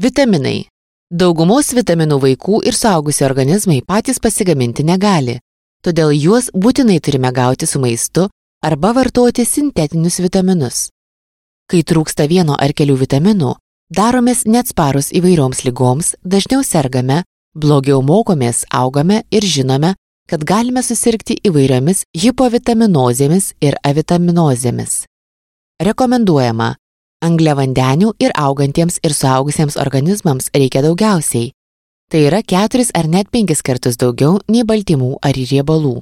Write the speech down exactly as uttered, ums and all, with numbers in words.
Vitaminai. Daugumos vitaminų vaikų ir suaugusių organizmai patys pasigaminti negali, todėl juos būtinai turime gauti su maistu arba vartoti sintetinius vitaminus. Kai trūksta vieno ar kelių vitaminų, daromės neatsparūs įvairioms ligoms, dažniau sergame, blogiau mokomės, augame ir žinome, kad galime susirgti įvairiomis hipovitaminozėmis ir avitaminozėmis. Rekomenduojama. Angliavandenių ir augantiems ir suaugusiems organizmams reikia daugiausiai. Tai yra keturis ar net penkis kartus daugiau nei baltymų ar riebalų.